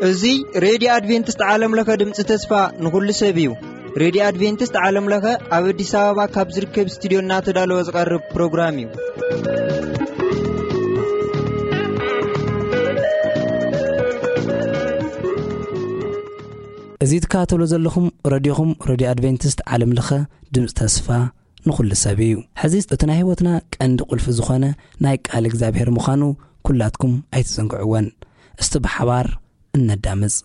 እዚ ሬድዮ ኣድቬንቲስት ዓለም ለኸ ድምፂ ተስፋ ንኹሉ ሰብ እዩ። ሬድዮ ኣድቬንቲስት ዓለም ለኸ ኣብ ኣዲስ ኣበባ ካብ ዝርከብ ስቱዲዮ እናተዳለወ ዝቐርብ ፕሮግራም እዩ። እዚ ትከታተሉ ዘለኹም ረድዮኹም፣ ረድዮ ኣድቬንቲስት ዓለም ለኸ ድምፂ ተስፋ ንኹሉ ሰብ እዩ። ሕዚ እቲ ናይ ህይወትና ቀንዲ ቁልፊ ዝኾነ ናይ ቃል እግዚኣብሔር ምዃኑ ኩላትኩም ኣይትዘንግዕወን። እስቲ ብሓባር እነዳምፅ።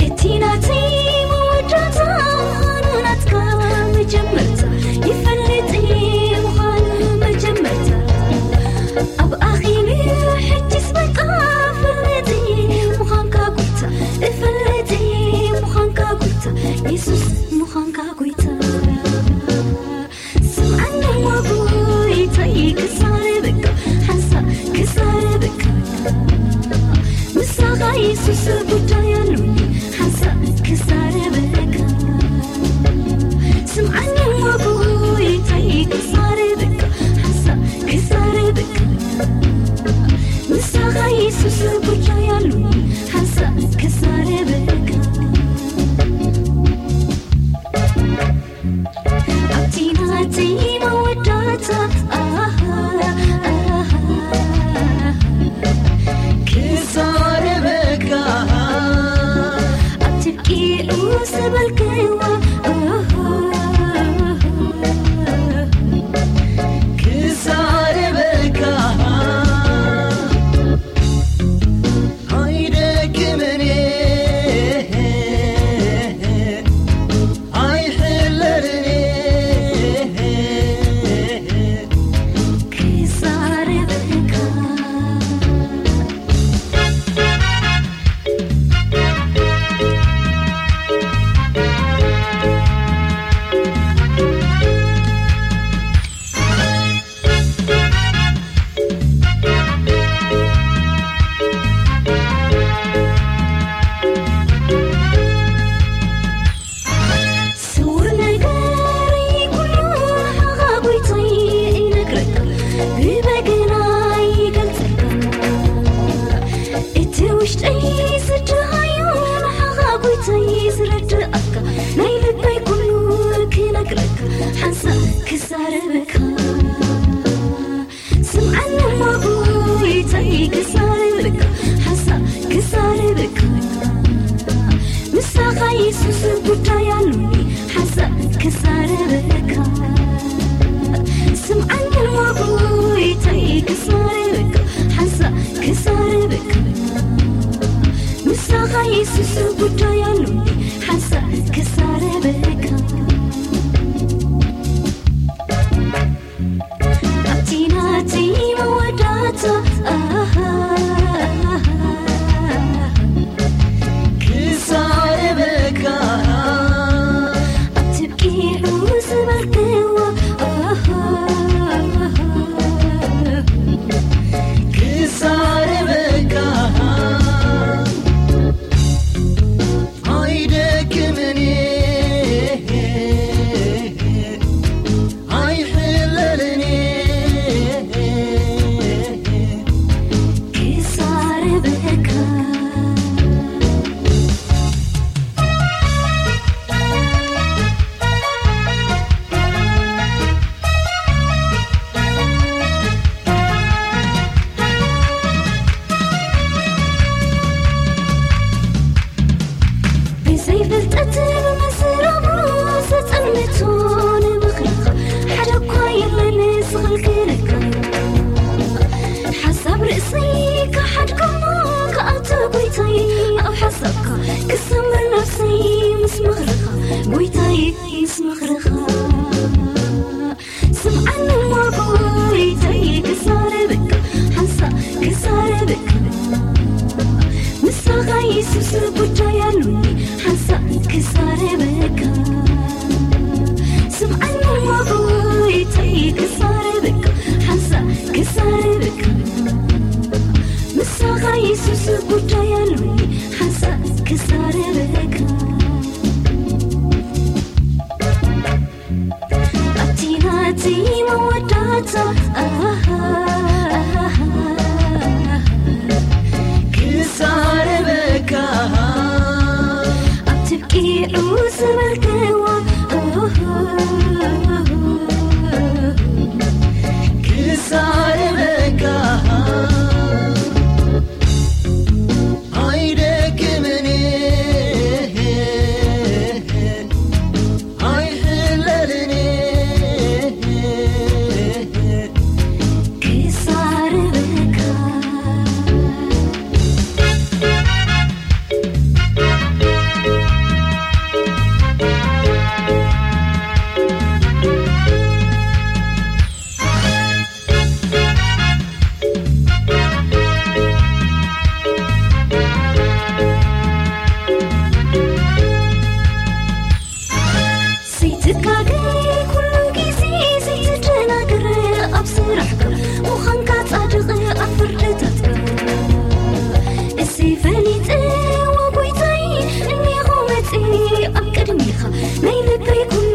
እቲ ናተይ መወዳእታ ምዃኑ ናትካ መጀመርታ ይፈልጥ እየ፣ ምዃኑ መጀመርታ ኣብ ኣኺሉ ሕጅስ በቃ እፈልጥ እየ፣ ምዃንካ ጎይታ እፈልጥ እየ፣ ምዃንካ ጎይታ የሱስ ምዃንካ ጎይታ። ስምዓኒ እሞ ጎይታይ ክዛረበካ፣ ሓንሳእ ክዛረበካ። ምሳኻ የሱስ ጉዳይ ኣሉኒ፣ ሓንሳእ ክዛረበካ። ስምዓኒ እሞ ጎይታይ ክዛረበካ፣ ሓንሳእ ክዛረበካ። ምሳኻ የሱስ ጉዳይ ኣሉኒ፣ ሓንሳእ ክዛረበካ። ኣብቲ ናተይ መወዳእታ፣ ኣሃ፣ ኣሃ፣ ክዛረበካ። ኣብቲ ብቂዑ ዝበልክዎ፣ ኣሃ፣ ክዛረበካ። ኣይደክምን እየ፣ ኣይሕለልን እየ፣ ክዛረበካ። ስውር ነገረይ ኩሉ ንዓኻ ጎይታይ እነግረካ፣ ብበገና ይገልጸካ። እቲ ውሽጠይ ዝደሃዮ ንዓኻ ጎይታይ ዝረድኣካ፣ ናይ ልበይ ኩሉ ክነግረካ፣ ሓንሳእ ክዛረበካ። ስምዓኒ እሞ ጎይታይ ክዛረበካ፣ ሓንሳእ ክዛረበካ። ምሳኻ የሱስ ጉዳይ ኣሉኒ፣ ሓንሳእ ክዛረበካ። ስምዓኒ እሞ ጎይታይ ክዛረበካ፣ ሓንሳእ ክዛረበካ። ምሳኻ የሱስ ጉዳይ ኣሉኒ፣ ሓንሳእ ክዛረበካ። ኣብቲ ናተይ መወዳእታ፣ ኣሃ፣ ክዛረበካ። ኣብቲ ብቂዑ ዝበልክዎ፣ ኣሃ፣ ክዛረበካ። ኣይደክምን እየ፣ ኣይሕለልን እየ፣ ክዛረበካ። ብዘይ ፍልጠት ብመሰረቡ ዘጸልምቶ ንምኽርኻ ሓደ እኳ የለን ዝኽልክለካ። ሓሳብ ርእሰይ ክሓድጎሞ ክኣቱ ጎይታይ ኣብ ሓሳብካ ክሰምር ነፍሰይ ምስ ምኽርኻ ጎይታይ ምስ ምኽርኻ። ስምዓኒ እሞ ጎይታይ ክዛረበካ፣ ሓንሳእ ክዛረበካ። ምሳኻ የሱስ ጉዳይ ኣሉኒ፣ ሓንሳእ ክዛረበካ። ስምዓኒ መልክዋ ክሳርበካ ኣይደክምን ኣይሕለልን ክሳርበካ። ዘይትጋገ ኩሉ ግዜ ዘይትደናግር ኣብ ስራሕካ ምዃንካ ጻድቕ ኣብ ፍርድታትካ እሰይ ፈሊጠ ወጎይታይ እኒኹ መጺ ኣብ ቅድሚኻ ናይ ልበይ ኩሉ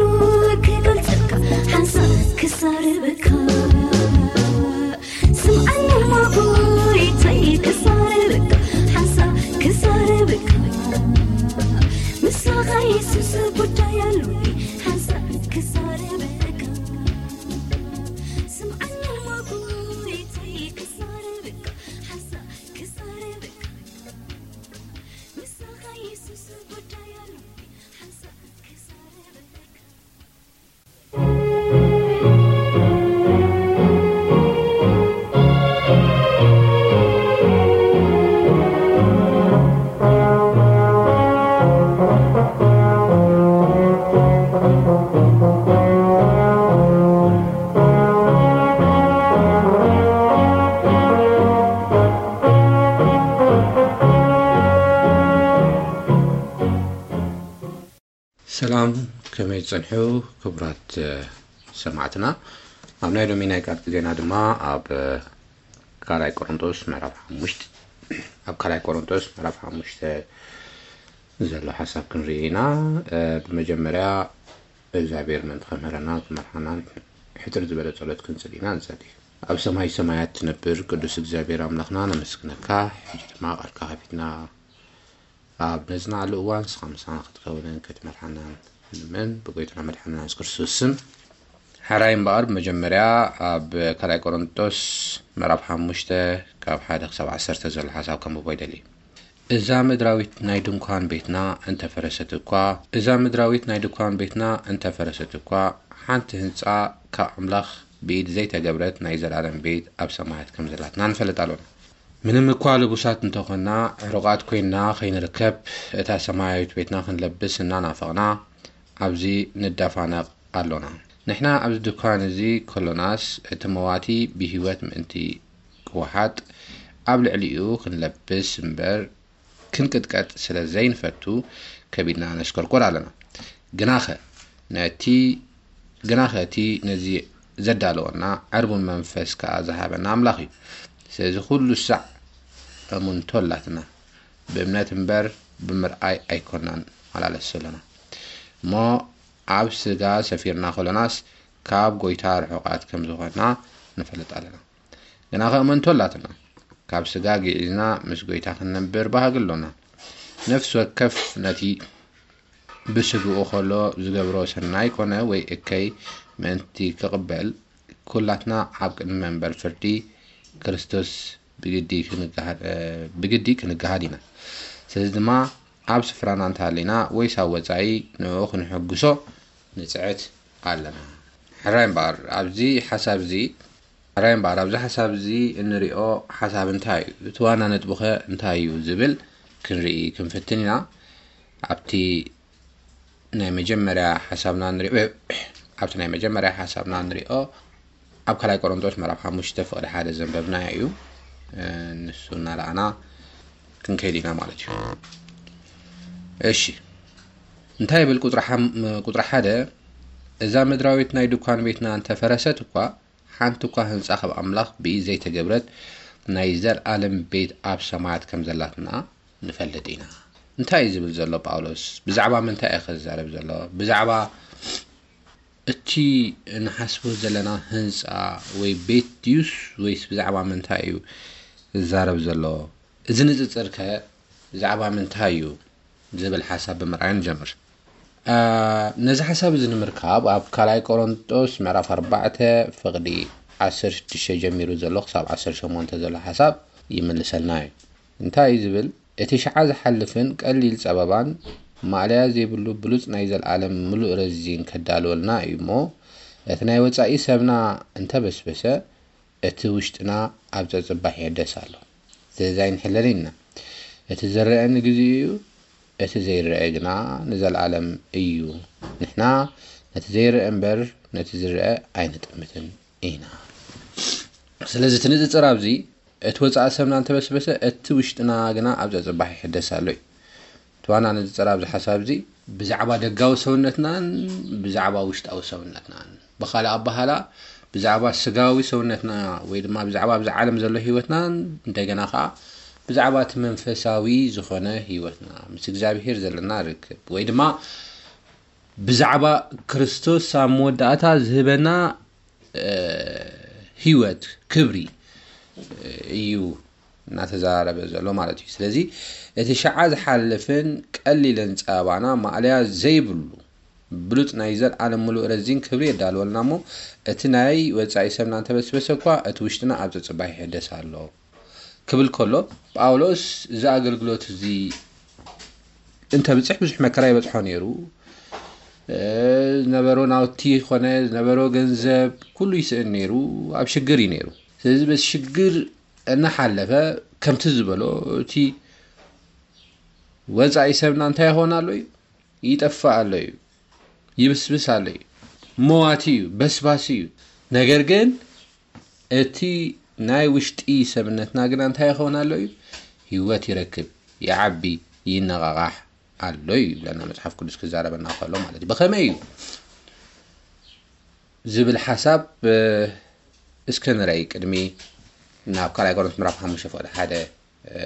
ክገልጸካ ሓንሳብ ክሳርበካ ስምዓኒ እሞ ጎይታይ ክሳርበካ ሓንሳብ ክሳርበካ ምሳኻ የሱስ ጉዳይ ኣሉኒ ሓንሳብ ክሳርበካ ስምዓኒ እሞ ጎይታይ ክሳርበካ ሓንሳብ ክሳርበካ ምሳኻ የሱስ ጉዳይ ኣሉኒ ሓንሳብ ክሳርበካ ሰላም፣ ከመይ ትጸንሑ ክቡራት ሰማዕትና? ኣብ ናይ ሎሚ ናይ ቃል ግዜና ድማ ኣብ ካልኣይ ቆሮንቶስ ምዕራፍ ሓሙሽተ፣ ኣብ ካልኣይ ቆሮንቶስ ምዕራፍ ሓሙሽተ ዘሎ ሓሳብ ክንርኢ ኢና። ብመጀመርያ እግዚኣብሔር ምእንቲ ከምህረናን ክመርሓናን ሕጽር ዝበለ ጸሎት ክንጽል ኢና ንጸሊ። ኣብ ሰማይ ሰማያት ትነብር ቅዱስ እግዚኣብሔር ኣምላኽና ነመስግነካ። ሕጂ ድማ ቃልካ ከፊትና ኣብ ነጽንዓሉ እዋን ንስኻ ምሳና ክትከውንን ክትመርሓናን ንልምን ብጎይታና መድሓንና የሱስ ክርስቶስ ስም። ሕራይ እምበኣር ብመጀመርያ ኣብ ካልኣይ ቆሮንቶስ ምዕራፍ ሓሙሽተ ካብ ሓደ ክሳብ ዓሰርተ ዘሎ ሓሳብ ከንብቦ ይደሊ። እዛ ምድራዊት ናይ ድንኳን ቤትና እንተፈረሰት እኳ፣ እዛ ምድራዊት ናይ ድንኳን ቤትና እንተፈረሰት እኳ፣ ሓንቲ ህንጻ ካብ ኣምላኽ ብኢድ ዘይተገብረት ናይ ዘለኣለም ቤት ኣብ ሰማያት ከም ዘላትና ንፈልጥ ኣሎና። ምንም እኳ ልቡሳት እንተኾንና፣ ዕሩቓት ኮይንና ከይንርከብ፣ እታ ሰማያዊት ቤትና ክንለብስ እናናፈቕና ኣብዚ ንዳፋነቕ ኣሎና። ንሕና ኣብዚ ድኳን እዚ ከሎናስ፣ እቲ መዋቲ ብህይወት ምእንቲ ክወሓጥ፣ ኣብ ልዕሊኡ ክንለብስ እምበር ክንቅጥቀጥ ስለ ዘይንፈቱ፣ ከቢድና ነሽኮርኮር ኣለና። ግናኸ ነቲ፣ ግናኸ እቲ ነዚ ዘዳለወና፣ ዕርቡን መንፈስ ከኣ ዝሃበና ኣምላኽ እዩ። ስለዚ ኩሉ ሳዕ እሙንቶ ኣላትና። ብእምነት እምበር ብምርኣይ ኣይኮናን ንመላለስ ዘሎና። እሞ ኣብ ስጋ ሰፊርና ከሎናስ፣ ካብ ጐይታ ርሑቓት ከም ዝኾንና ንፈልጥ ኣለና። ግናኸ እመንቶ ኣላትና። ካብ ስጋ ግዒዝና ምስ ጐይታ ክንነብር ባህጊ ኣሎና። ነፍሲ ወከፍ ነቲ ብስግኡ ኸሎ ዝገብሮ ሰናይ ኮነ ወይ እከይ ምእንቲ ክቕበል፣ ኩላትና ኣብ ቅድሚ መንበር ፍርዲ ክርስቶስ ብግዲ ክንገሃድ፣ እ፣ ብግዲ ክንገሃድ ኢና። ስለዚ ድማ ኣብ ስፍራና እንተሃሊና ወይስ ኣብ ወጻኢ ንዕኡ ክንሕጉሶ ንጽዕት ኣለና። ሕራይ እምበኣር ኣብዚ ሓሳብ እዚ፣ ሕራይ እምበኣር ኣብዚ ሓሳብ እዚ እንሪኦ ሓሳብ እንታይ እዩ? እቲ ዋና ነጥቡ ኸ እንታይ እዩ ዝብል ክንርኢ ክንፍትን ኢና። ኣብቲ ናይ መጀመርያ ሓሳብና ንሪኦ፣ ኣብቲ ናይ መጀመርያ ሓሳብና ንሪኦ፣ ኣብ ካልኣይ ቆሮንቶስ ምዕራፍ ሓሙሽተ ፍቕዲ ሓደ ዘንበብናዮ እዩ። እ፣ ንሱ እናረኣና ክንከይድ ኢና ማለት እዩ። እሺ፣ እንታይ ይብል? ቁጽሪ ሓም-፣ ቁጽሪ ሓደ፣ "እዛ ምድራዊት ናይ ድኳን ቤትና እንተፈረሰት እኳ፣ ሓንቲ እኳ ህንጻ ካብ ኣምላኽ ብኢድ ዘይተገብረት ናይ ዘልኣለም ቤት ኣብ ሰማያት ከም ዘላትና ንፈልጥ ኢና።" እንታይ እዩ ዝብል ዘሎ ጳውሎስ? ብዛዕባ ምንታይ እዩ ክዛረብ ዘሎ? ብዛዕባ እቲ ንሓስቦ ዘለና ህንጻ ወይ ቤት ድዩስ ወይስ ብዛዕባ ምንታይ እዩ ዝዛረብ ዘሎ? እዚ ንጽጽር ከ ብዛዕባ ምንታይ እዩ ዝብል ሓሳብ ብምርኣይ ንጀምር። ነዚ ሓሳብ እዚ ንምርካብ ኣብ ካልኣይ ቆሮንጦስ ምዕራፍ ኣርባዕተ ፍቕዲ ዓሰርተ ሽዱሽተ ጀሚሩ ዘሎ ክሳብ ዓሰርተ ሸሞንተ ዘሎ ሓሳብ ይምልሰልና እዩ። እንታይ እዩ ዝብል? እቲ ሽዓ ዝሓልፍን ቀሊል ጸበባን ማእለያ ዘይብሉ ብሉጽ ናይ ዘልኣለም ምሉእ ረዚን ከዳልወልና እዩ እሞ፣ እቲ ናይ ወጻኢ ሰብና እንተበስበሰ፣ እቲ ውሽጥና ኣብ ጸጽባሕ ይሕደስ ኣሎ። ስለዚ ኣይንሕለል ኢና። እቲ ዝረአ ንግዜኡ እዩ፣ እቲ ዘይረአ ግና ንዘለኣለም እዩ። ንሕና ነቲ ዘይረአ እምበር ነቲ ዝረአ ኣይንጥምትን ኢና። ስለዚ እቲ ንጽጽር ኣብዚ፣ እቲ ወጻኢ ሰብና እንተበስበሰ፣ እቲ ውሽጥና ግና ኣብ ጸጽባሕ ይሕደስ ኣሎ እዩ። እቲ ዋና ንጽጽር ኣብዚ ሓሳብ እዚ፣ ብዛዕባ ደጋዊ ሰውነትናን ብዛዕባ ውሽጣዊ ሰውነትናን፣ ብኻልእ ኣበሃላ፣ ብዛዕባ ስጋዊ ሰውነትና ወይ ድማ ብዛዕባ ኣብዚ ዓለም ዘሎ ህይወትናን እንደገና ኸዓ ብዛዕባ እቲ መንፈሳዊ ዝኾነ ህይወትና፣ ምስ እግዚኣብሄር ዘለና ርክብ፣ ወይ ድማ ብዛዕባ ክርስቶስ ኣብ መወዳእታ ዝህበና፣ እ፣ ህይወት፣ ክብሪ፣ እ፣ እዩ እናተዛረበ ዘሎ ማለት እዩ። ስለዚ እቲ ሽዓ ዝሓልፍን ቀሊልን ጸባና ማእለያ ዘይብሉ ብሉጽ ናይ ዘልኣለም ምሉእ ረዚን ክብሪ የዳልወልና እሞ፣ እቲ ናይ ወጻኢ ሰብና እንተበስበሰ እኳ፣ እቲ ውሽጥና ኣብ ጸጽባሕ ይሕደስ ኣሎ ክብል ከሎ፣ ጳውሎስ እዚ ኣገልግሎት እዚ እንተብጽሕ ብዙሕ መከራ ይበጽሖ ነይሩ። እ፣ ዝነበሮ ናውቲ ይኾነ ዝነበሮ ገንዘብ ኩሉ ይስእን ነይሩ፣ ኣብ ሽግር እዩ ነይሩ። ስለዚ በዚ ሽግር እናሓለፈ ከምቲ ዝበሎ፣ እቲ ወጻኢ ሰብና እንታይ ይኾን ኣሎ እዩ? ይጠፍእ ኣሎ እዩ፣ ይብስብስ ኣሎ እዩ፣ መዋቲ እዩ፣ በስባሲ እዩ። ነገር ግን እቲ ናይ ውሽጢ ሰብነትና ግና እንታይ ይኸውን ኣሎ እዩ? ህይወት ይረክብ፣ ይዓቢ፣ ይነቓቓሕ ኣሎ እዩ ይብለና መጽሓፍ ቅዱስ ክዛረበና ከሎ ማለት እዩ። ብኸመይ እዩ ዝብል ሓሳብ፣ እ፣ እስከ ንረኣይ ቅድሚ ናብ ካልኣይ ቆሮንቶስ ምዕራፍ ሓሙሽተ ፍቕዲ ሓደ፣ እ፣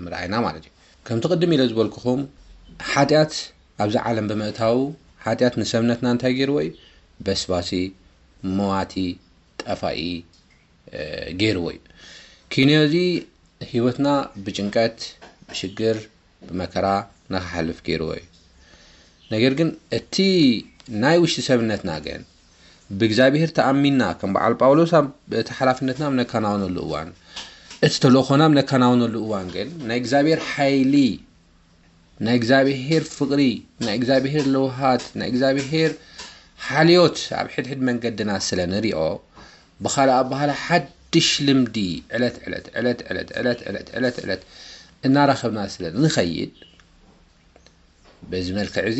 ምርኣይና ማለት እዩ። ከምቲ ቅድም ኢለ ዝበልኩኹም፣ ሓጢኣት ኣብዚ ዓለም ብምእታዉ፣ ሓጢኣት ንሰብነትና እንታይ ገይርዎ እዩ? በስባሲ፣ መዋቲ፣ ጠፋኢ፣ እ፣ ገይርዎ እዩ። ኪንዮ እዚ ህይወትና ብጭንቀት፣ ብሽግር፣ ብመከራ ንኽሓልፍ ገይርዎ እዩ። ነገር ግን እቲ ናይ ውሽጢ ሰብነትና ግን ብእግዚኣብሔር ተኣሚንና፣ ከም በዓል ጳውሎስ ኣብ እቲ ሓላፍነትና ኣብ ነከናውነሉ እዋን፣ እቲ ተልእኾና ኣብ ነከናውነሉ እዋን ግን ናይ እግዚኣብሔር ሓይሊ፣ ናይ እግዚኣብሔር ፍቕሪ፣ ናይ እግዚኣብሔር ለውሃት፣ ናይ እግዚኣብሔር ሓልዮት ኣብ ሕድሕድ መንገድና ስለ ንሪኦ፣ ብኻልእ ኣበሃላ ሓድሽ ልምዲ ዕለት ዕለት፣ ዕለት ዕለት፣ ዕለት ዕለት፣ ዕለት ዕለት እናረኸብና ስለ ንኸይድ፣ በዚ መልክዕ እዚ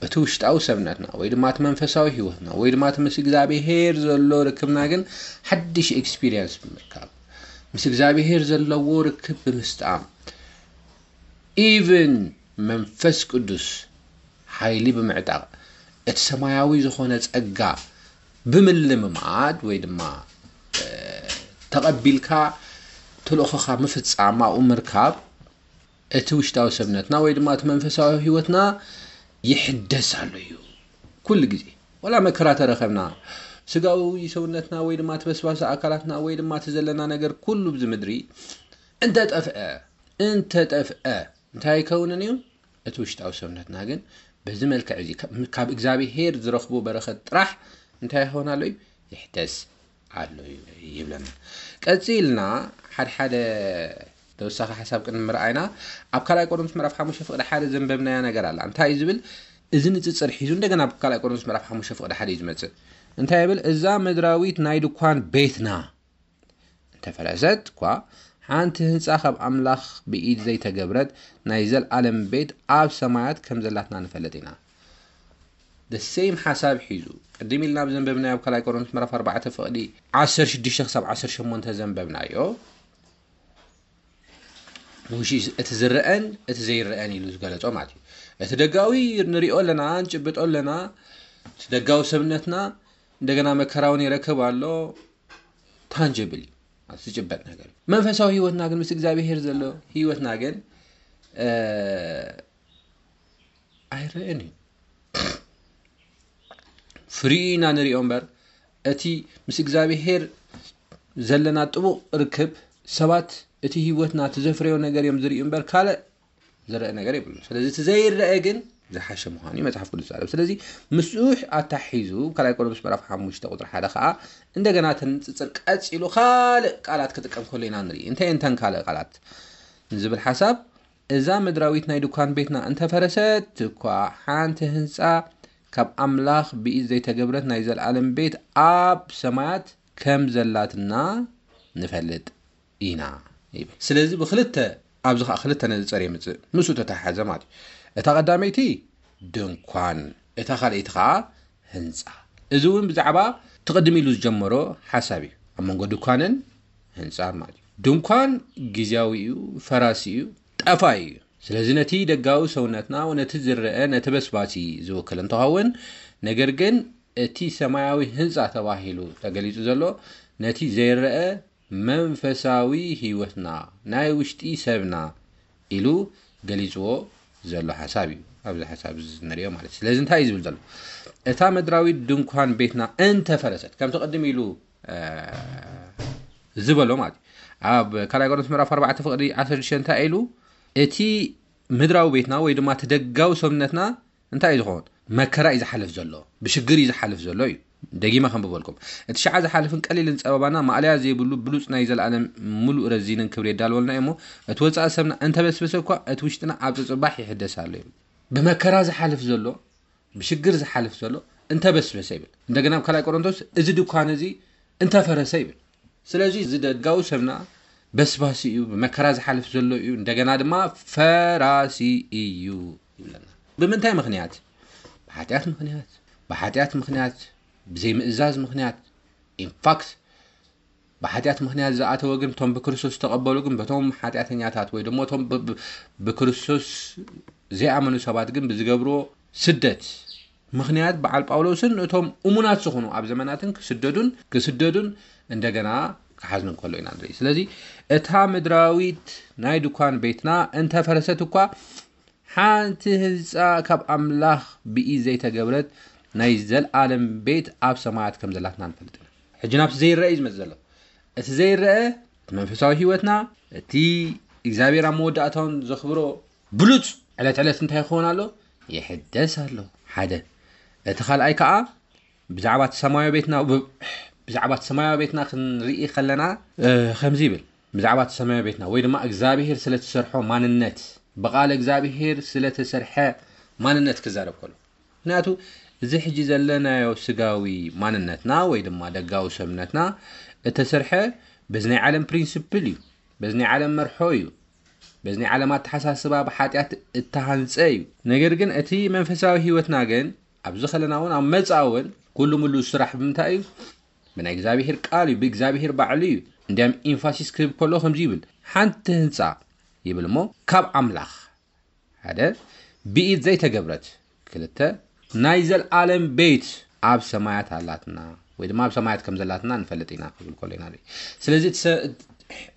እቲ ውሽጣዊ ሰብነትና ወይ ድማ እቲ መንፈሳዊ ህይወትና ወይ ድማ እቲ ምስ እግዚኣብሔር ዘሎ ርክብና ግን ሓድሽ ኤክስፒሪየንስ ብምርካብ፣ ምስ እግዚኣብሔር ዘለዎ ርክብ ብምስጣም፣ ኢቭን መንፈስ ቅዱስ ሓይሊ ብምዕጣቕ፣ እቲ ሰማያዊ ዝኾነ ጸጋ ብምልምማድ ወይ ድማ፣ እ፣ ተቐቢልካ ተልእኾኻ ምፍጻም ኣብኡ ምርካብ፣ እቲ ውሽጣዊ ሰብነትና ወይ ድማ እቲ መንፈሳዊ ህይወትና ይሕደስ ኣሎ እዩ። ኩሉ ግዜ፣ ወላ መከራ ተረኸብና፣ ስጋዊ ሰውነትና ወይ ድማ እቲ በስባሲ ኣካላትና ወይ ድማ እቲ ዘለና ነገር ኩሉ ብዚ ምድሪ እንተጠፍአ፣ እንተጠፍአ፣ እንታይ ኣይከውንን እዩ? እቲ ውሽጣዊ ሰውነትና ግን በዚ መልክዕ እዚ ካብ፣ ካብ እግዚኣብሄር ዝረኽቦ በረኸት ጥራሕ እንታይ ይኸውን ኣሎ እዩ? ይሕደስ ኣሎ እዩ ይብለና። ቀጺልና ሓደ ሓደ ተወሳኺ ሓሳብ ቅድሚ ምርኣይና፣ ኣብ ካልኣይ ቆሮንቶስ ምዕራፍ ሓሙሽተ ፍቕዲ ሓደ ዘንበብናያ ነገር ኣላ። እንታይ እዩ ዝብል? እዚ ንጽጽር ሒዙ እንደገና ኣብ ካልኣይ ቆሮንቶስ ምዕራፍ ሓሙሽተ ፍቕዲ ሓደ እዩ ዝመጽእ። እንታይ ይብል? እዛ ምድራዊት ናይ ድኳን ቤትና እንተፈረሰት እኳ፣ ሓንቲ ህንጻ ካብ ኣምላኽ ብኢድ ዘይተገብረት ናይ ዘልኣለም ቤት ኣብ ሰማያት ከም ዘላትና ንፈልጥ ኢና። The same ሓሳብ ሒዙ፣ ቅድም ኢልና ኣብ ዘንበብናዮ ኣብ ካልኣይ ቆሮንቶስ ምዕራፍ ኣርባዕተ ፍቕዲ ዓሰርተ ሽዱሽተ ክሳብ ዓሰርተ ሸሞንተ ዘንበብናዮ፣ ውሺ እቲ ዝረአን እቲ ዘይረአን ኢሉ ዝገለጾ ማለት እዩ። እቲ ደጋዊ ንሪኦ ኣለና፣ ንጭብጦ ኣለና፣ እቲ ደጋዊ ሰብነትና እንደገና መከራ እውን ይረክብ ኣሎ፣ ታንጅብል እዩ፣ ማለት ዝጭበጥ ነገር እዩ። መንፈሳዊ ህይወትና ግን ምስ እግዚኣብሄር ዘሎ ህይወትና ግን፣ እ፣ ኣይረአን እዩ። ፍሪኡ ኢና ንሪኦ እምበር፣ እቲ ምስ እግዚኣብሄር ዘለና ጥቡቕ ርክብ፣ ሰባት እቲ ህይወትና እቲ ዘፍረዮ ነገር እዮም ዝርእዩ እምበር፣ ካልእ ዝረአ ነገር የብሉን። ስለዚ እቲ ዘይረአ ግን ዝሓሸ ምዃኑ እዩ መጽሓፍ ቅዱስ ዝዛረብ። ስለዚ ምስኡ ኣታሒዙ ካልኣይ ቆሮንቶስ ምዕራፍ ሓሙሽተ ቁጽሪ ሓደ ከኣ እንደገና ተንጽጽር ቀጺሉ ካልእ ቃላት ክጥቀም ከሎ ኢና ንርኢ። እንታይ እንተን ካልእ ቃላት ንዝብል ሓሳብ፣ እዛ ምድራዊት ናይ ድኳን ቤትና እንተፈረሰት እኳ ሓንቲ ህንጻ ካብ ኣምላኽ ብኢድ ዘይተገብረት ናይ ዘለኣለም ቤት ኣብ ሰማያት ከም ዘላትና ንፈልጥ ኢና ይብል። ስለዚ ብክልተ ኣብዚ ከዓ ክልተ ነዚ ጸር የምጽእ ምስኡ ተተሓዘ ማለት እዩ። እታ ቀዳመይቲ ድንኳን፣ እታ ካልኣይቲ ከዓ ህንፃ። እዚ እውን ብዛዕባ ትቕድም ኢሉ ዝጀመሮ ሓሳብ እዩ። ኣብ መንጎ ድኳንን ህንፃን ማለት እዩ። ድንኳን ግዜያዊ እዩ፣ ፈራሲ እዩ፣ ጠፋይ እዩ። ስለዚ ነቲ ደጋዊ ሰውነትና ነቲ ዝረአ ነቲ በስባሲ ዝውክል እንትኸውን፣ ነገር ግን እቲ ሰማያዊ ህንፃ ተባሂሉ ተገሊጹ ዘሎ ነቲ ዘይረአ መንፈሳዊ ህይወትና ናይ ውሽጢ ሰብና ኢሉ ገሊጽዎ ዘሎ ሓሳብ እዩ። ኣብዚ ሓሳብ እዚ ንሪኦ ማለት እዩ። ስለዚ እንታይ እዩ ዝብል ዘሎ? እታ ምድራዊት ድንኳን ቤትና እንተፈረሰት፣ ከምቲ ቅድም ኢሉ ዝበሎ ማለት እዩ። ኣብ ካልኣይ ቆሮንቶስ ምዕራፍ ኣርባዕተ ፍቕዲ ዓሰርተ ሽዱሽተ እንታይ ኢሉ? እቲ ምድራዊ ቤትና ወይ ድማ እቲ ደጋዊ ሰብነትና እንታይ እዩ ዝኸውን? መከራ እዩ ዝሓልፍ ዘሎ፣ ብሽግር እዩ ዝሓልፍ ዘሎ እዩ። ደጊመ ከንብበልኩም። እቲ ሸዓ ዝሓልፍን ቀሊልን ጸበባና ማእለያ ዘይብሉ ብሉጽ ናይ ዘለኣለም ምሉእ ረዚንን ክብሪ የዳልወልና እዩ እሞ፣ እቲ ወጻኢ ሰብና እንተበስበሰ እኳ እቲ ውሽጥና ኣብ ጽጽባሕ ይሕደስ ኣሎ እዩ። ብመከራ ዝሓልፍ ዘሎ፣ ብሽግር ዝሓልፍ ዘሎ እንተበስበሰ ይብል። እንደገና ኣብ ካልኣይ ቆሮንቶስ እዚ ድኳን እዚ እንተፈረሰ ይብል። ስለዚ እዚ ደጋዊ ሰብና በስባሲ እዩ፣ ብመከራ ዝሓልፍ ዘሎ እዩ፣ እንደገና ድማ ፈራሲ እዩ ይብለና። ብምንታይ ምኽንያት? ብሓጢኣት ምኽንያት፣ ብሓጢኣት ምኽንያት፣ ብዘይምእዛዝ ምኽንያት። ኢንፋክት ብሓጢኣት ምኽንያት ዝኣተወ ግን እቶም ብክርስቶስ ዝተቐበሉ ግን በቶም ሓጢኣተኛታት ወይ ድማ እቶም ብክርስቶስ ዘይኣመኑ ሰባት ግን ብዝገብርዎ ስደት ምኽንያት በዓል ጳውሎስን እቶም እሙናት ዝኾኑ ኣብ ዘመናትን ክስደዱን ክስደዱን እንደገና ክሓዝኑ እንከሎ ኢና ንርኢ። ስለዚ እታ ምድራዊት ናይ ድኳን ቤትና እንተፈረሰት እኳ ሓንቲ ህንፃ ካብ ኣምላኽ ብኢድ ዘይተገብረት ናይ ዘልኣለም ቤት ኣብ ሰማያት ከም ዘላትና ንፈልጥ ኢና። ሕጂ ናብቲ ዘይረአ እዩ ዝመጽእ ዘሎ። እቲ ዘይረአ እቲ መንፈሳዊ ህይወትና እቲ እግዚኣብሔር ኣብ መወዳእታውን ዘኽብሮ ብሉፅ ዕለት ዕለት እንታይ ይኸውን ኣሎ? ይሕደስ ኣሎ። ሓደ እቲ ካልኣይ ከዓ ብዛዕባ እቲ ሰማያዊ ቤትና ብዛዕባ እቲ ሰማያዊ ቤትና ክንርኢ ከለና ከምዚ ይብል። ብዛዕባ እቲ ሰማያዊ ቤትና ወይ ድማ እግዚኣብሔር ስለትሰርሖ ማንነት ብቃል እግዚኣብሔር ስለተሰርሐ ማንነት ክዛረብ ከሎ ምክንያቱ እዚ ሕጂ ዘለናዮ ስጋዊ ማንነትና ወይ ድማ ደጋዊ ሰብነትና እተሰርሐ በዚ ናይ ዓለም ፕሪንስፕል እዩ፣ በዚ ናይ ዓለም መርሖ እዩ፣ በዚ ናይ ዓለም ኣተሓሳስባ ብሓጢኣት እተሃንፀ እዩ። ነገር ግን እቲ መንፈሳዊ ህይወትና ግን ኣብዚ ከለና እውን ኣብ መፃ እውን ኩሉ ምሉ ስራሕ ብምንታይ እዩ? ብናይ እግዚኣብሄር ቃል እዩ፣ ብእግዚኣብሄር ባዕሉ እዩ። እንዲያም ኢንፋሲስ ክህብ ከሎ ከምዚ ይብል፣ ሓንቲ ህንፃ ይብል እሞ ካብ ኣምላኽ ሓደ ብኢድ ዘይተገብረት፣ ክልተ ናይ ዘልኣለም ቤት ኣብ ሰማያት ኣላትና ወይ ድማ ኣብ ሰማያት ከም ዘላትና ንፈልጥ ኢና ክብል ከሎ ኢና ንርኢ። ስለዚ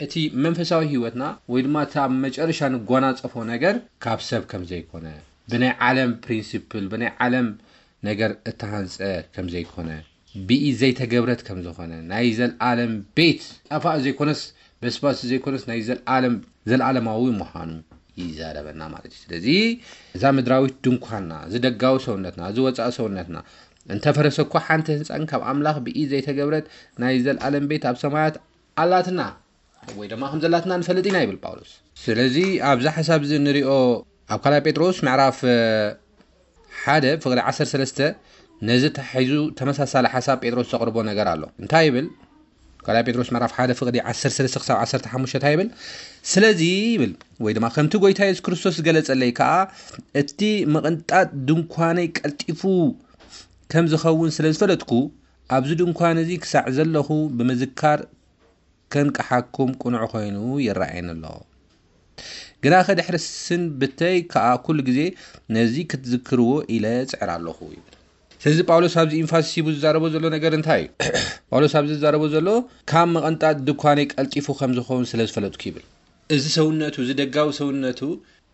እቲ መንፈሳዊ ህይወትና ወይ ድማ እቲ ኣብ መጨረሻ ንጓናፀፎ ነገር ካብ ሰብ ከም ዘይኮነ ብናይ ዓለም ፕሪንሲፕል ብናይ ዓለም ነገር እተሃንፀ ከም ዘይኮነ ብኢድ ዘይተገብረት ከም ዝኾነ ናይ ዘልኣለም ቤት ጠፋእ ዘይኮነስ በስባሲ ዘይኮነስ ናይ ዘልኣለም ዘልኣለማዊ ምዃኑ ይዛረበና ማለት እዩ። ስለዚ እዛ ምድራዊት ድንኳንና፣ እዚ ደጋዊ ሰውነትና፣ እዚ ወፃኢ ሰውነትና እንተፈረሰ እኳ ሓንቲ ህንፃን ካብ ኣምላኽ ብኢድ ዘይተገብረት ናይ ዘልኣለም ቤት ኣብ ሰማያት ኣላትና ወይ ድማ ከም ዘላትና ንፈልጥ ኢና ይብል ጳውሎስ። ስለዚ ኣብዚ ሓሳብ እዚ ንሪኦ ኣብ ካልኣይ ጴጥሮስ ምዕራፍ ሓደ ፍቕዲ ዓሰርተ ሰለስተ ነዚ ተሒዙ ተመሳሳሊ ሓሳብ ጴጥሮስ ዘቕርቦ ነገር ኣሎ። እንታይ ይብል? ካልኣይ ጴጥሮስ ምዕራፍ ሓደ ፍቕዲ ዓሰርተ ሰለስተ ክሳብ ዓሰርተ ሓሙሽተ እንታይ ይብል? ስለዚ ይብል ወይ ድማ ከምቲ ጎይታ የሱስ ክርስቶስ ዝገለጸለይ ከኣ እቲ ምቕንጣጥ ድንኳነይ ቀልጢፉ ከም ዝኸውን ስለ ዝፈለጥኩ ኣብዚ ድንኳን እዚ ክሳዕ ዘለኹ ብምዝካር ከንቅሓኩም ቅኑዕ ኮይኑ ይረኣየኒ ኣሎ። ግናኸ ድሕሪ ስንብተይ ከኣ ኩሉ ግዜ ነዚ ክትዝክርዎ ኢለ ጽዕር ኣለኹ ይብል። ስለዚ ጳውሎስ ኣብዚ ኢንፋሲስ ሂቡ ዝዛረቦ ዘሎ ነገር እንታይ እዩ? ጳውሎስ ኣብዚ ዝዛረቦ ዘሎ ካብ መቐንጣት ድኳነይ ቀልጢፉ ከም ዝኸውን ስለ ዝፈለጥኩ ይብል። እዚ ሰውነቱ እዚ ደጋዊ ሰውነቱ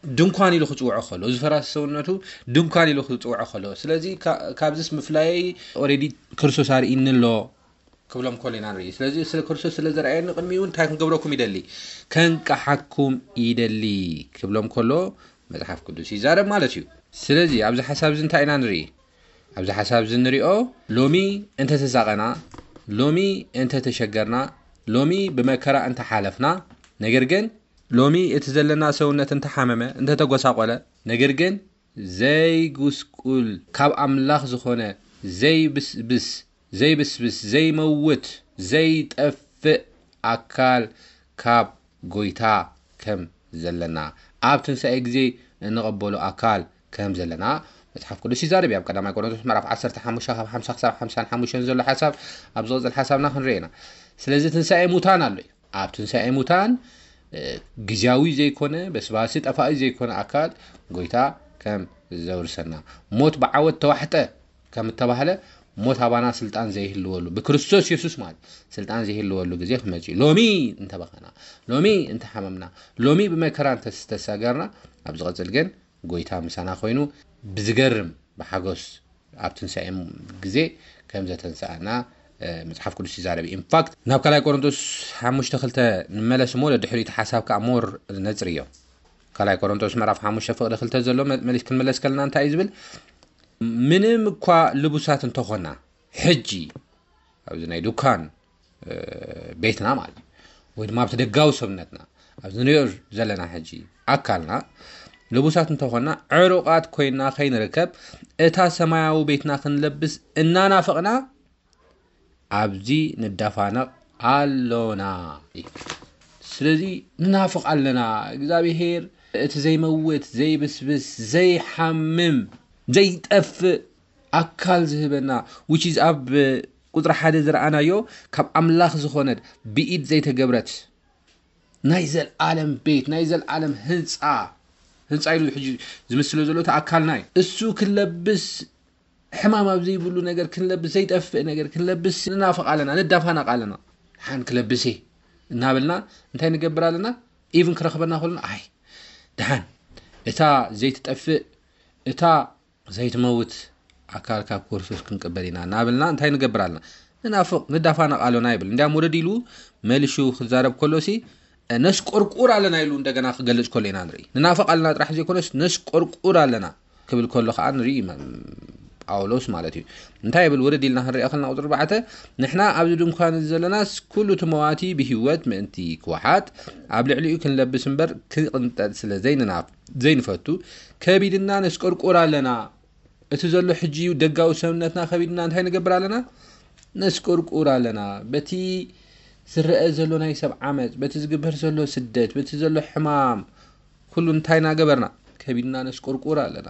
ድንኳን ኢሉ ክጽውዖ ከሎ እዚ ፈራሲ ሰውነቱ ድንኳን ኢሉ ክጽውዖ ከሎ ስለዚ ካብዚስ ምፍላየይ ኦሬዲ ክርስቶስ ኣርእኒ ኣሎ ክብሎም ከሎ ኢና ንርኢ። ስለዚ ስለ ክርስቶስ ስለ ዘርኣየኒ ቅድሚኡ እንታይ ክንገብረኩም ይደሊ? ከንቅሓኩም ይደሊ ክብሎም ከሎ መጽሓፍ ቅዱስ ይዛረብ ማለት እዩ። ስለዚ ኣብዚ ሓሳብ እዚ እንታይ ኢና ንርኢ? ኣብዚ ሓሳብ እዚ ንሪኦ፣ ሎሚ እንተተሳቐና፣ ሎሚ እንተተሸገርና፣ ሎሚ ብመከራ እንተሓለፍና፣ ነገር ግን ሎሚ እቲ ዘለና ሰውነት እንተሓመመ፣ እንተተጎሳቆለ፣ ነገር ግን ዘይጉስቁል፣ ካብ ኣምላኽ ዝኾነ ዘይብስብስ፣ ዘይብስብስ፣ ዘይመውት፣ ዘይጠፍእ ኣካል ካብ ጎይታ ከም ዘለና፣ ኣብ ትንሳኤ ግዜ እንቐበሎ ኣካል ከም ዘለና መጽሓፍ ቅዱስ ይዛረብ እዩ። ኣብ ቀዳማይ ቆሮንቶስ ምዕራፍ ዓሰርተ ሓሙሽተ ካብ ሓምሳ ክሳብ ሓምሳን ሓሙሽተን ዘሎ ሓሳብ፣ ኣብ ዝቕጽል ሓሳብና ክንርኢ ኢና። ስለዚ ትንሳኤ ሙታን ኣሎ እዩ። ኣብ ትንሳኤ ሙታን፣ እ፣ ግዝያዊ ዘይኮነ፣ በስባሲ ጠፋኢ ዘይኮነ ኣካል ጎይታ ከም ዘውርሰና፣ ሞት ብዓወት ተዋሕጠ ከም እተባህለ፣ ሞት ኣባና ስልጣን ዘይህልወሉ፣ ብክርስቶስ የሱስ ማለት ስልጣን ዘይህልወሉ ግዜ ክመጽእ እዩ። ሎሚ እንተበኸና፣ ሎሚ እንተሓመምና፣ ሎሚ ብመከራ እንተስተሳገርና፣ ኣብ ዝቐጽል ግን ጎይታ ምሳና ኮይኑ ብዝገርም ብሓጎስ ኣብ ትንሳኤ ግዜ ከም ዘተንስኣና፣ እ፣ መጽሓፍ ቅዱስ ይዛረብ። ኢንፋክት ናብ ካልኣይ ቆሮንቶስ ሓሙሽተ ክልተ ንመለስ እሞ፣ ደድሕሪኡ እቲ ሓሳብ ከኣ ሞር ነጽርዮ። ካልኣይ ቆሮንቶስ ምዕራፍ ሓሙሽተ ፍቕዲ ክልተ ዘሎ መ-፣ መሊስ ክንመለስ ከለና እንታይ እዩ ዝብል? ምንም እኳ ልቡሳት እንተኾና፣ ሕጂ ኣብዚ ናይ ዱካን፣ እ፣ ቤትና ማለት እዩ፣ ወይ ድማ ኣብቲ ደጋዊ ሰብነትና፣ ኣብዚ ንሪኦ ዘለና ሕጂ ኣካልና ልቡሳት እንተኾና፣ ዕሩቓት ኮይና ከይንርከብ፣ እታ ሰማያዊ ቤትና ክንለብስ እናናፈቕና ኣብዚ ንዳፋነቕ ኣሎና። ስለዚ ንናፍቕ ኣለና። እግዚኣብሄር እቲ ዘይመውት፣ ዘይብስብስ፣ ዘይሓምም፣ ዘይጠፍእ ኣካል ዝህበና፣ which is ኣብ ቁጽሪ ሓደ ዝረኣናዮ፣ ካብ ኣምላኽ ዝኾነት ብኢድ ዘይተገብረት ናይ ዘልኣለም ቤት፣ ናይ ዘልኣለም ህንጻ፣ ህንጻ ኢሉ ሕጂ ዝምስሎ ዘሎ እቲ ኣካልና እዩ። እሱ ክንለብስ፣ ሕማም ኣብ ዘይብሉ ነገር ክንለብስ፣ ዘይጠፍእ ነገር ክንለብስ ንናፍቕ ኣለና፣ ንዳፋነቕ ኣለና። ሓን ክለብስ እየ እናበልና እንታይ ንገብር ኣለና? ኢቭን ክረኽበና ከሎ፣ ኣይ፣ ደሓን፣ እታ ዘይትጠፍእ፣ እታ ዘይትመውት ኣካል ካብ ክርስቶስ ክንቅበል ኢና እናበልና እንታይ ንገብር ኣለና? ንናፍቕ፣ ንዳፋነቕ ኣሎና ይብል። እንዲያም ወረድ ኢሉ መሊሹ ክዛረብ ከሎሲ፣ ነስቆርቁር ኣለና ኢሉ እንደገና ክገልጽ ከሎ ኢና ንርኢ። ንናፍቕ ኣለና ጥራሕ ዘይኮነስ፣ ነስቆርቁር ኣለና ክብል ከሎ ከኣ ንርኢ፣ መ-፣ ጳውሎስ ማለት እዩ። እንታይ ይብል? ወረድ ኢልና ክንሪኦ ከለና ቁጽሪ ኣርባዕተ፣ "ንሕና ኣብዚ ድንኳን እዚ ዘለናስ ኩሉ እቲ መዋቲ ብህይወት ምእንቲ ክወሓጥ፣ ኣብ ልዕሊኡ ክንለብስ እምበር ክቕንጠጥ ስለ ዘይንናፍ-፣ ዘይንፈቱ፣ ከቢድና ነስቆርቁር ኣለና።" እቲ ዘሎ ሕጂ ደጋዊ ሰብነትና ከቢድና እንታይ ንገብር ኣለና? ነስቆርቁር ኣለና። በቲ ዝረአ ዘሎ ናይ ሰብ ዓመጽ፣ በቲ ዝግበር ዘሎ ስደት፣ በቲ ዘሎ ሕማም፣ ኩሉ እንታይ እናገበርና? ከቢድና ነስቆርቁር ኣለና።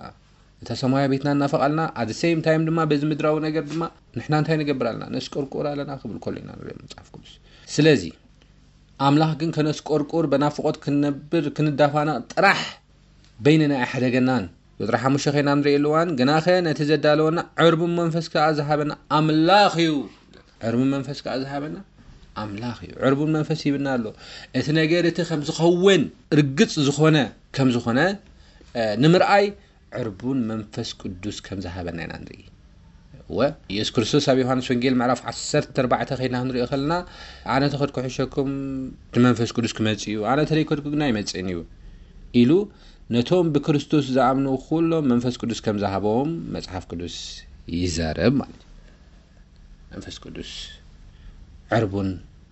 እታ ሰማያዊ ቤትና እናፈቓልና፣ at the same time ድማ በዚ ምድራዊ ነገር ድማ ንሕና እንታይ ንገብር ኣለና? ነስቆርቁር ኣለና ክብል ከሎ ኢና ንርኢ መጽሓፍ ቅዱስ። ስለዚ ኣምላኽ ግን ከነስቆርቁር፣ በናፍቖት ክንነብር፣ ክንዳፋነቕ ጥራሕ በይንና ኣይሓደገናን። ቁጽሪ ሓሙሽተ ኸይና ንርእየሉ እዋን፣ ግናኸ ነቲ ዘዳለወና ዕርቡን መንፈስ ከኣ ዝሃበና ኣምላኽ እዩ። ዕርቡን መንፈስ ከኣ ዝሃበና ኣምላኽ እዩ። ዕርቡን መንፈስ ሂብና ኣሎ። እቲ ነገር እቲ ከም ዝኸውን ርግጽ ዝኾነ፣ ከም ዝኾነ፣ እ፣ ንምርኣይ ዕርቡን መንፈስ ቅዱስ ከም ዝሃበና ኢና ንርኢ። እወ፣ ኢየሱስ ክርስቶስ ኣብ ዮሃንስ ወንጌል ምዕራፍ ዓሰርተ ኣርባዕተ ኸይድና ክንሪኦ ከለና፣ "ኣነ ተኸድ ክሕሸኩም እቲ መንፈስ ቅዱስ ክመጽእ እዩ፣ ኣነ ተለይከድኩ ግን ኣይመጽእን እዩ" ኢሉ፣ ነቶም ብክርስቶስ ዝኣምኑ ኩሎም መንፈስ ቅዱስ ከም ዝሃቦም መጽሓፍ ቅዱስ ይዛረብ ማለት እዩ። መንፈስ ቅዱስ ዕርቡን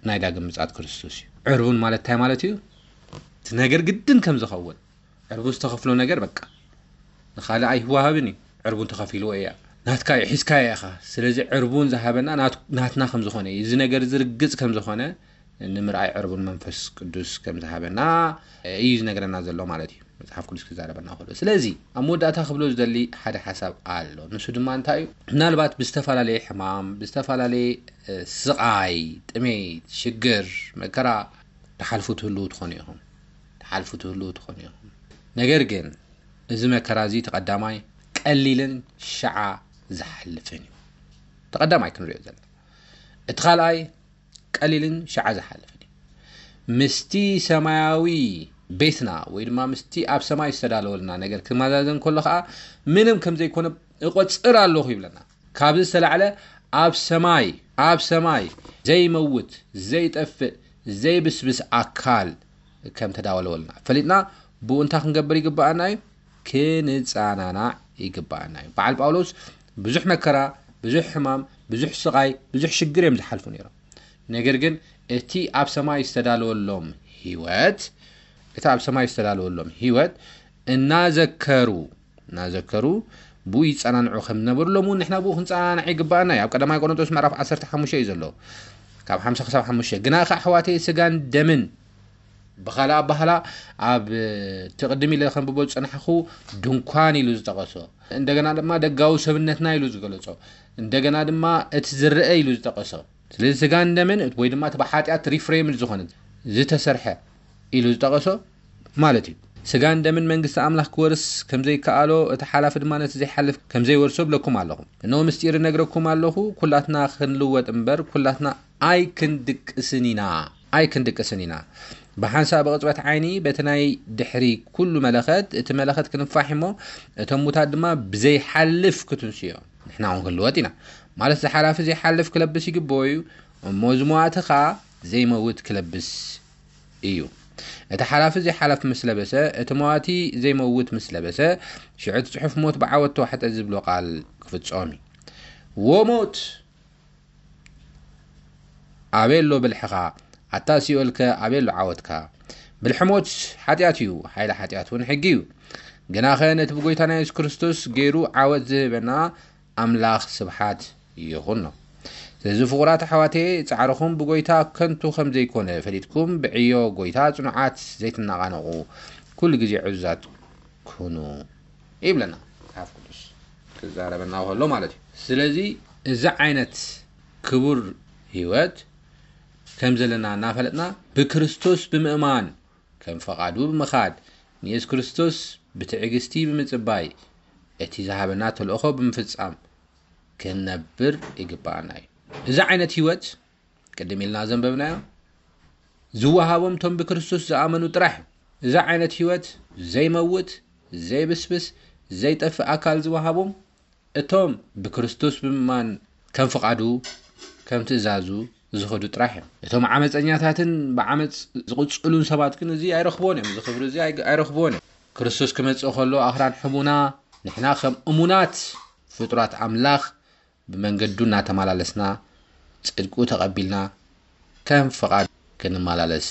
ናይ ዳግም ምጽኣት ክርስቶስ እዩ። ዕርቡን ማለት እንታይ ማለት እዩ? እቲ ነገር ግድን ከም ዝኸውን፣ ዕርቡን ዝተኸፍሎ ነገር በቃ ንኻልእ ኣይዋሃብን እዩ። ዕርቡን ተኸፊልዎ እያ። ናትካ እዩ፣ ሒዝካዮ ኢኻ። ስለዚ ዕርቡን ዝሃበና ናት-፣ ናትና ከም ዝኾነ እዩ። እዚ ነገር እዚ ርግጽ ከም ዝኾነ ንምርኣይ ዕርቡን መንፈስ ቅዱስ ከም ዝሃበና እዩ ዝነግረና ዘሎ ማለት እዩ፣ መጽሓፍ ቅዱስ ክዛረበና ከሎ። ስለዚ ኣብ መወዳእታ ክብሎ ዝደሊ ሓደ ሓሳብ ኣሎ። ንሱ ድማ እንታይ እዩ? ምናልባት ብዝተፈላለየ ሕማም፣ ብዝተፈላለየ፣ እ፣ ስቓይ፣ ጥሜት፣ ሽግር፣ መከራ ትሓልፉ ትህልዉ ትኾኑ ኢኹም። ትሓልፉ ትህልዉ ትኾኑ ኢኹም። ነገር ግን እዚ መከራ እዚ እቲ ቀዳማይ ቀሊልን ሸዓ ዝሓልፍን እዩ። እቲ ቀዳማይ ክንሪኦ ዘለና። እቲ ካልኣይ ቀሊልን ሸዓ ዝሓልፍን እዩ። ምስቲ ሰማያዊ ቤትና ወይ ድማ ምስቲ ኣብ ሰማይ ዝተዳለወልና ነገር ክመዛዘን ከሎ ኸዓ ምንም ከም ዘይኮነ እቆጽር ኣለኹ ይብለና። ካብዚ ዝተላዕለ ኣብ ሰማይ፣ ኣብ ሰማይ ዘይመውት፣ ዘይጠፍእ፣ ዘይብስብስ ኣካል ከም ተዳወለወልና ፈሊጥና ብኡ እንታይ ክንገብር ይግብኣና እዩ? ክንጸናናዕ ይግባኣና እዩ። በዓል ጳውሎስ ብዙሕ መከራ፣ ብዙሕ ሕማም፣ ብዙሕ ስቓይ፣ ብዙሕ ሽግር እዮም ዝሓልፉ ነይሮም። ነገር ግን እቲ ኣብ ሰማይ ዝተዳለወሎም ህይወት፣ እቲ ኣብ ሰማይ ዝተዳለወሎም ህይወት እናዘከሩ እናዘከሩ ብኡ ይጸናንዑ ከም ዝነበሩ ሎም እውን ንሕና ብኡ ክንጸናናዕ ይግባኣና እዩ። ኣብ ቀዳማይ ቆሮንቶስ ምዕራፍ ዓሰርተ ሓሙሽተ እዩ ዘሎ፣ ካብ ሓምሳ ክሳብ ሓሙሽተ። ግና ኸ ኣሕዋተይ፣ ስጋን ደምን ብኻልእ ኣባህላ ኣብ ትቕድም ኢለ ከንብቦ ዝጸናሕኹ ድንኳን ኢሉ ዝጠቐሶ፣ እንደገና ድማ ደጋዊ ሰብነትና ኢሉ ዝገለጾ፣ እንደገና ድማ እቲ ዝረአ ኢሉ ዝጠቐሶ። ስለዚ ስጋን ደምን ወይ ድማ እቲ ብሓጢኣት ሪፍሬምድ ዝኾነ ዝተሰርሐ ኢሉ ዝጠቐሶ ማለት እዩ። ስጋን ደምን መንግስቲ ኣምላኽ ክወርስ ከም ዘይከኣሎ፣ እቲ ሓላፊ ድማ ነቲ ዘይሓልፍ ከም ዘይወርሶ እብለኩም ኣለኹ። እነሆ ምስጢር እነግረኩም ኣለኹ፣ ኩላትና ክንልወጥ እምበር ኩላትና ኣይክንድቅስን ኢና፣ ኣይክንድቅስን ኢና። ብሓንሳእ ብቕጽበት ዓይኒ በቲ ናይ ድሕሪ ኩሉ መለኸት፣ እቲ መለኸት ክንፋሕ እሞ፣ እቶም ሙታት ድማ ብዘይሓልፍ ክትንስዮ፣ ንሕና እውን ክንልወጥ ኢና። ማለት እዚ ሓላፊ ዘይሓልፍ ክለብስ ይግብኦ እዩ፣ እሞ እዚ መዋቲ ኸኣ ዘይመውት ክለብስ እዩ። እቲ ሓላፊ ዘይሓልፍ ምስ ለበሰ፣ እቲ መዋቲ ዘይመውት ምስ ለበሰ፣ ሽዑ እቲ ጽሑፍ ሞት ብዓወት ተዋሕጠ ዝብሎ ቃል ክፍጸም እዩ። "ዎ ሞት ኣበይ ኣሎ ብልሕኻ? ኣታ ሲኦልከ ኣበይ ኣሎ ዓወትካ?" ብልሒ ሞት ሓጢኣት እዩ፣ ሓይሊ ሓጢኣት እውን ሕጊ እዩ። ግናኸ ነቲ ብጎይታና የሱስ ክርስቶስ ገይሩ ዓወት ዝህበና ኣምላኽ ስብሓት ይኹኖ። ስለዚ ፍቑራት ኣሕዋተየ፣ ጻዕርኹም ብጎይታ ከንቱ ከም ዘይኮነ ፈሊጥኩም፣ ብዕዮ ጎይታ ጽኑዓት ዘይትነቓነቑ፣ ኩሉ ግዜ ዕዙዛት ኩኑ ይብለና መጽሓፍ ቅዱስ ክዛረበና ከሎ ማለት እዩ። ስለዚ እዚ ዓይነት ክቡር ህይወት ከም ዘለና እናፈለጥና ብክርስቶስ ብምእማን ከም ፈቓዱ ብምኻድ ንየሱስ ክርስቶስ ብትዕግስቲ ብምጽባይ እቲ ዝሃበና ተልእኾ ብምፍጻም ክንነብር ይግባኣና እዩ። እዚ ዓይነት ህይወት ቅድም ኢልና ዘንበብናዮ ዝወሃቦም እቶም ብክርስቶስ ዝኣመኑ ጥራሕ እዩ። እዚ ዓይነት ህይወት ዘይመውት፣ ዘይብስብስ፣ ዘይጠፍእ ኣካል ዝወሃቦም እቶም ብክርስቶስ ብምእማን ከም ፍቓዱ ከም ትእዛዙ ዝኸዱ ጥራሕ እዮም። እቶም ዓመፀኛታትን ብዓመፅ ዝቕፅሉን ሰባት ግን እዚ ኣይረኽብዎን እዮም። እዚ ክብሪ እዚ ኣይግ- ኣይረኽብዎን እዮም። ክርስቶስ ክመፅእ ከሎ ኣኽራን ሕሙና፣ ንሕና ከም እሙናት ፍጡራት ኣምላኽ ብመንገዱ እናተመላለስና ጽድቁ ተቐቢልና ከም ፍቓድ ክንመላለስ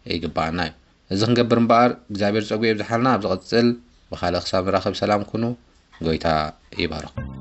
ይግባኣና እዩ። እዚ ክንገብር እምበኣር እግዚኣብሔር ጸጉ የብዝሓልና። ኣብ ዝቐጽል ብኻልእ ክሳብ ንራኸብ ሰላም ኩኑ። ጎይታ ይባርኹም።